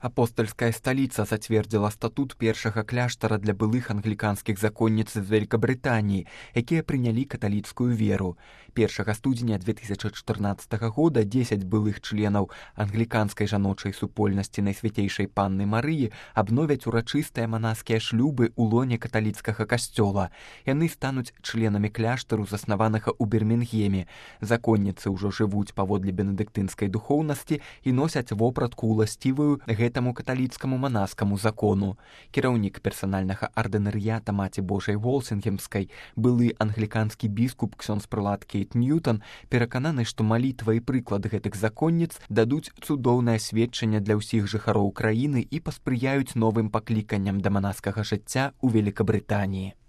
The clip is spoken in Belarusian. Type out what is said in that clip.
Апостольская столица зацвердзіла статут першага кляштара для былых англіканскіх законніц з Вялікабрытаніі, якія прынялі каталіцкую веру. 1 студзеня 2014 года 10 былых членаў англіканскай жаночай супольнасці Найсвяцейшай Панны Марыі абновяць урачыстыя манаскія шлюбы ў лоне каталіцкага касцёла. Яны стануць членамі кляштару, заснаванага ў Бірмінгеме. Законніцы ўжо жывуць паводле бенедыктынскай духоўнасці і носяць вопратку уласцівую гэтаму каталіцкаму манаскаму закону. Кіраўнік персанальнага ардынарыята Маці Божай Волсінгемскай, былы англіканскі біскуп ксёндз-прылад Кейт Ньютон, перакананы, што малітва і прыклад гэтых законніц дадуць цудоўнае сведчанне для ўсіх жыхароў краіны і паспрыяюць новым пакліканням да манаскага жыцця ў Великабрытаніі.